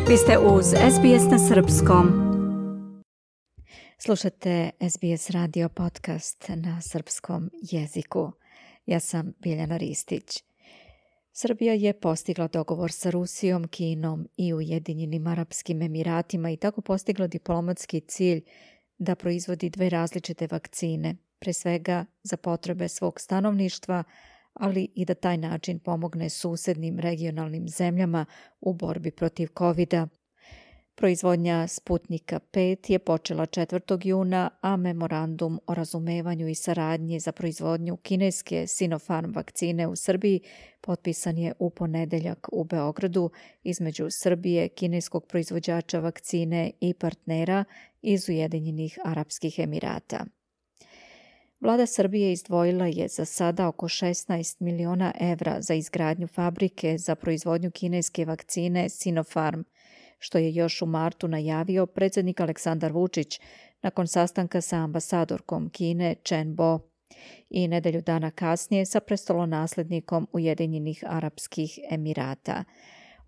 Vi ste uz SBS na srpskom. Slušate SBS radio podcast na srpskom jeziku. Ja sam Biljana Ristić. Srbija je postigla dogovor sa Rusijom, Kinom i Ujedinjenim Arapskim Emiratima i tako postigla diplomatski cilj da proizvodi dve različite vakcine, pre svega za potrebe svog stanovništva, ali i da taj način pomogne susednim regionalnim zemljama u borbi protiv COVID-a. Proizvodnja Sputnika 5 je počela 4. juna, a memorandum o razumevanju i saradnji za proizvodnju kineske Sinopharm vakcine u Srbiji potpisan je u ponedeljak u Beogradu između Srbije, kineskog proizvođača vakcine i partnera iz Ujedinjenih Arapskih Emirata. Vlada Srbije izdvojila je za sada oko 16 miliona evra za izgradnju fabrike za proizvodnju kineske vakcine Sinopharm, što je još u martu najavio predsjednik Aleksandar Vučić nakon sastanka sa ambasadorkom Kine Chen Bo i nedelju dana kasnije sa prestolonaslednikom Ujedinjenih Arapskih Emirata.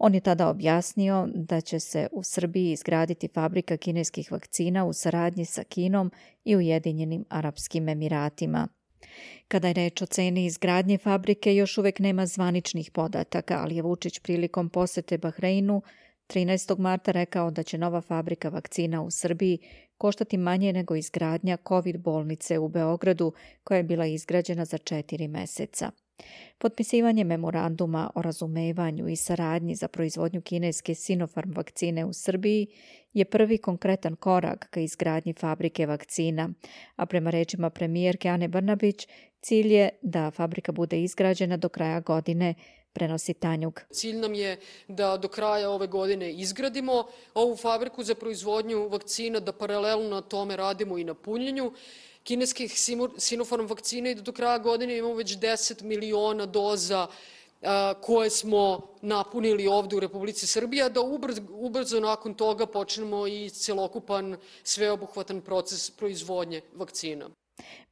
On je tada objasnio da će se u Srbiji izgraditi fabrika kineskih vakcina u saradnji sa Kinom i Ujedinjenim Arapskim Emiratima. Kada je reč o ceni izgradnje fabrike, još uvek nema zvaničnih podataka, ali je Vučić prilikom posete Bahreinu 13. marta rekao da će nova fabrika vakcina u Srbiji koštati manje nego izgradnja COVID bolnice u Beogradu, koja je bila izgrađena za 4 meseca. Potpisivanje memoranduma o razumevanju i saradnji za proizvodnju kineske Sinopharm vakcine u Srbiji je prvi konkretan korak ka izgradnji fabrike vakcina, a prema rečima premijerke Ane Brnabić, cilj je da fabrika bude izgrađena do kraja godine, prenosi Tanjug. Cilj nam je da do kraja ove godine izgradimo ovu fabriku za proizvodnju vakcina, da paralelno na tome radimo i na punjenju kineskih Sinopharm vakcina i da do kraja godine imamo već 10 miliona doza koje smo napunili ovde u Republici Srbiji, a da ubrzo nakon toga počnemo i celokupan sveobuhvatan proces proizvodnje vakcina.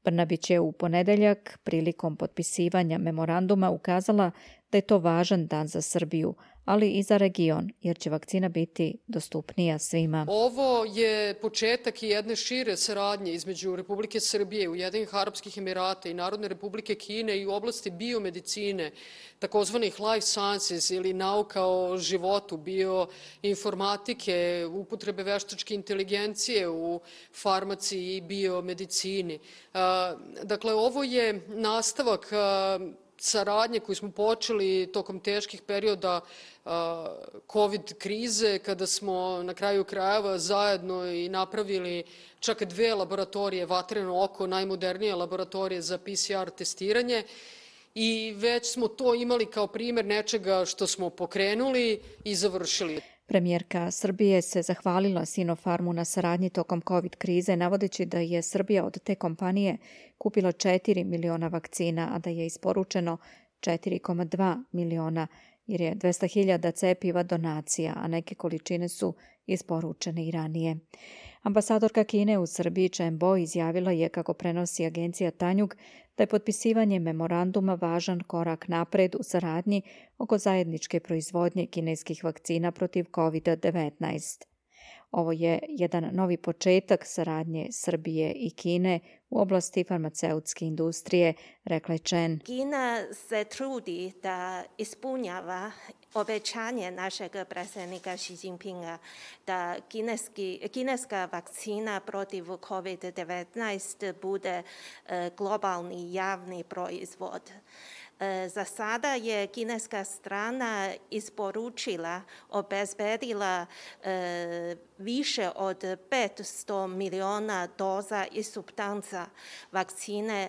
Brnabić je u ponedeljak prilikom potpisivanja memoranduma ukazala da je to važan dan za Srbiju, ali i za region, jer će vakcina biti dostupnija svima. Ovo je početak jedne šire saradnje između Republike Srbije, Ujedinjenih Arapskih Emirata i Narodne Republike Kine i u oblasti biomedicine, takozvanih life sciences ili nauka o životu, bioinformatike, upotrebe veštačke inteligencije u farmaciji i biomedicini. Dakle, ovo je nastavak saradnje koju smo počeli tokom teških perioda COVID krize, kada smo na kraju krajeva zajedno i napravili čak 2 laboratorije, Vatreno oko, najmodernije laboratorije za PCR testiranje, i već smo to imali kao primer nečega što smo pokrenuli i završili. Premijerka Srbije se zahvalila Sinopharmu na saradnji tokom COVID krize, navodeći da je Srbija od te kompanije kupila 4 miliona vakcina, a da je isporučeno 4,2 miliona, jer je 200.000 cepiva donacija, a neke količine su isporučene i ranije. Ambasadorka Kine u Srbiji Chen Bo izjavila je, kako prenosi agencija Tanjug, da je potpisivanje memoranduma važan korak napred u saradnji oko zajedničke proizvodnje kineskih vakcina protiv COVID-19. Ovo je jedan novi početak saradnje Srbije i Kine u oblasti farmaceutske industrije, rekla je Chen. Kina se trudi da ispunjava obećanje našeg predsjednika Xi Jinpinga da kineska vakcina protiv COVID-19 bude globalni javni proizvod. Za sada je kineska strana isporučila, obezbedila više od 500 miliona doza i supstanca vakcine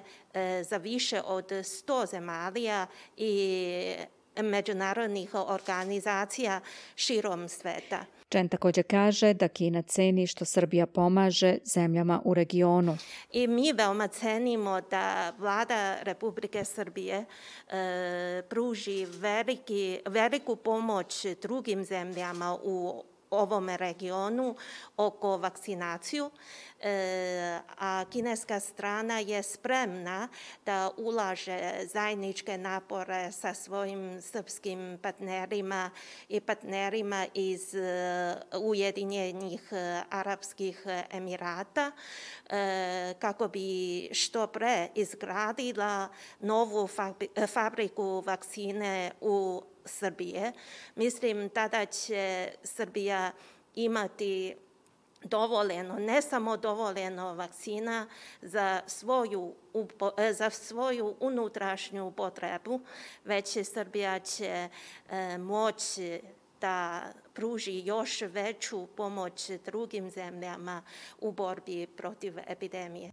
za više od 100 zemalja i međunarodnih organizacija širom sveta. Chen također kaže da Kina ceni što Srbija pomaže zemljama u regionu. I mi veoma cenimo da vlada Republike Srbije pruži veliku pomoć drugim zemljama u ovom regionu oko vakcinaciju, a kineska strana je spremna da ulaže zajedničke napore sa svojim srpskim partnerima i partnerima iz Ujedinjenih Arapskih Emirata kako bi što pre izgradila novu fabriku vakcine u Srbije. Mislim, tada će Srbija imati dovoljeno, ne samo dovoljeno vakcina za svoju unutrašnju potrebu, već Srbija će moći da pruži još veću pomoć drugim zemljama u borbi protiv epidemije.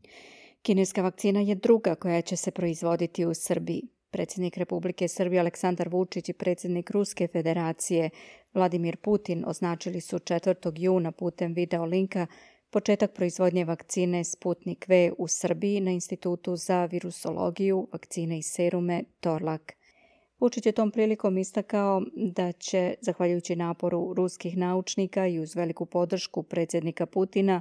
Kineska vakcina je druga koja će se proizvoditi u Srbiji. Predsjednik Republike Srbije Aleksandar Vučić i predsjednik Ruske federacije Vladimir Putin označili su 4. juna putem video linka početak proizvodnje vakcine Sputnik V u Srbiji na Institutu za virusologiju, vakcine i serume Torlak. Vučić je tom prilikom istakao da će, zahvaljujući naporu ruskih naučnika i uz veliku podršku predsjednika Putina,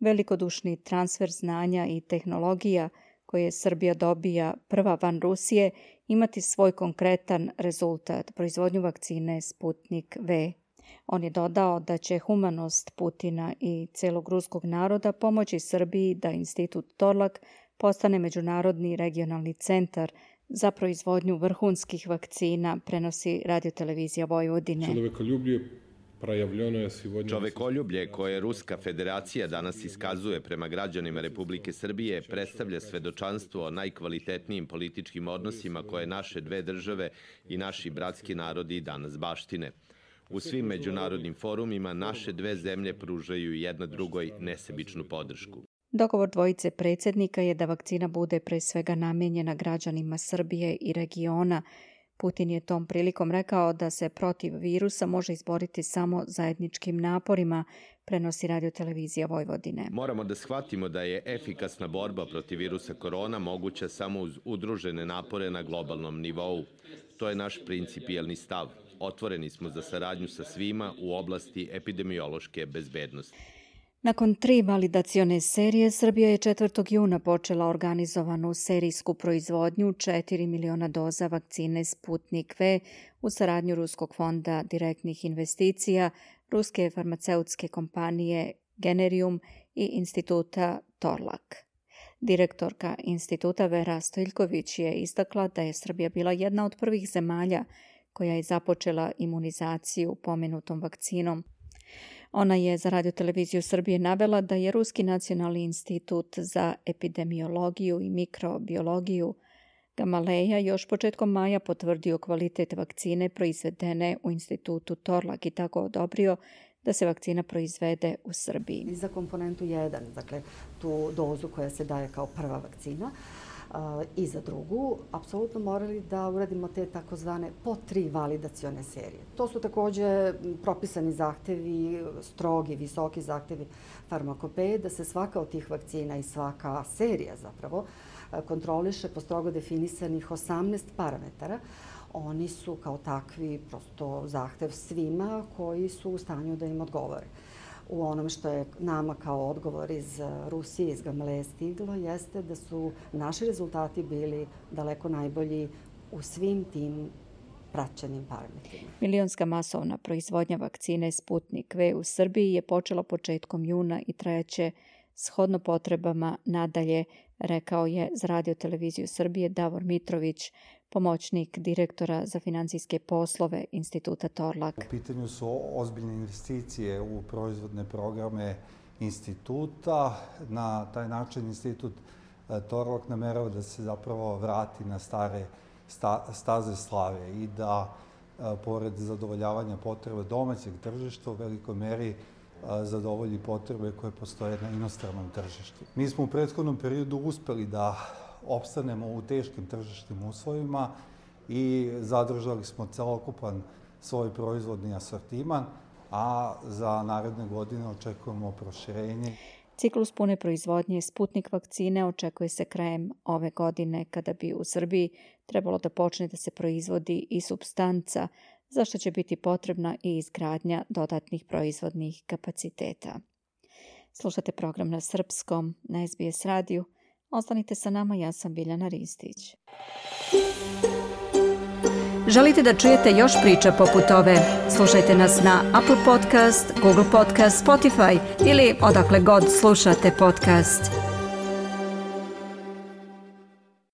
velikodušni transfer znanja i tehnologija koje Srbija dobija prva van Rusije imati svoj konkretan rezultat, proizvodnju vakcine Sputnik V. On je dodao da će humanost Putina i celog ruskog naroda pomoći Srbiji da Institut Torlak postane međunarodni regionalni centar za proizvodnju vrhunskih vakcina, prenosi Radiotelevizija Vojvodine. Čovekoljublje koje Ruska federacija danas iskazuje prema građanima Republike Srbije predstavlja svedočanstvo o najkvalitetnijim političkim odnosima koje naše dve države i naši bratski narodi danas baštine. U svim međunarodnim forumima naše dve zemlje pružaju jedna drugoj nesebičnu podršku. Dogovor dvojice predsjednika je da vakcina bude pre svega namijenjena građanima Srbije i regiona. Putin je tom prilikom rekao da se protiv virusa može izboriti samo zajedničkim naporima, prenosi Radiotelevizija Vojvodine. Moramo da shvatimo da je efikasna borba protiv virusa korona moguća samo uz udružene napore na globalnom nivou. To je naš principijelni stav. Otvoreni smo za saradnju sa svima u oblasti epidemiološke bezbednosti. Nakon 3 validacione serije, Srbija je 4. juna počela organizovanu serijsku proizvodnju 4 miliona doza vakcine Sputnik V u saradnju Ruskog fonda direktnih investicija, ruske farmaceutske kompanije Generium i instituta Torlak. Direktorka instituta Vera Stojiljković je istakla da je Srbija bila jedna od prvih zemalja koja je započela imunizaciju pomenutom vakcinom. Ona je za Radioteleviziju Srbije navela da je Ruski nacionalni institut za epidemiologiju i mikrobiologiju Gamaleja još početkom maja potvrdio kvalitet vakcine proizvedene u institutu Torlak i tako odobrio da se vakcina proizvede u Srbiji. I za komponentu 1, dakle tu dozu koja se daje kao prva vakcina, i za drugu, apsolutno morali da uradimo te takozvane po 3 validacione serije. To su takođe propisani zahtevi, strogi, visoki zahtevi farmakopeje, da se svaka od tih vakcina i svaka serija zapravo kontroliše po strogo definisanih 18 parametara. Oni su kao takvi prosto zahtev svima koji su u stanju da im odgovore. U onom što je nama kao odgovor iz Rusije, iz Gamaleje stiglo, jeste da su naši rezultati bili daleko najbolji u svim tim praćenim parametrima. Milionska masovna proizvodnja vakcine Sputnik V u Srbiji je počela početkom juna i trajaće shodno potrebama nadalje, rekao je za Radioteleviziju Srbije Davor Mitrović, pomoćnik direktora za financijske poslove instituta Torlak. U pitanju su ozbiljne investicije u proizvodne programe instituta. Na taj način institut Torlak namerava da se zapravo vrati na stare staze slave i da, pored zadovoljavanja potreba domaćeg tržišta, u velikoj meri zadovolji potrebe koje postoje na inostranom tržištu. Mi smo u prethodnom periodu uspeli da opstanemo u teškim tržišnim uslovima i zadržali smo celokupan svoj proizvodni asortiman, a za naredne godine očekujemo proširenje. Ciklus pune proizvodnje Sputnik vakcine očekuje se krajem ove godine, kada bi u Srbiji trebalo da počne da se proizvodi i supstanca za što će biti potrebna i izgradnja dodatnih proizvodnih kapaciteta. Slušate program na srpskom, na SBS radiju. Ostanite sa nama, ja sam Biljana Ristić. Želite da čujete još priča poput ove? Slušajte nas na Apple Podcast, Google Podcast, Spotify ili odakle god slušate podcast.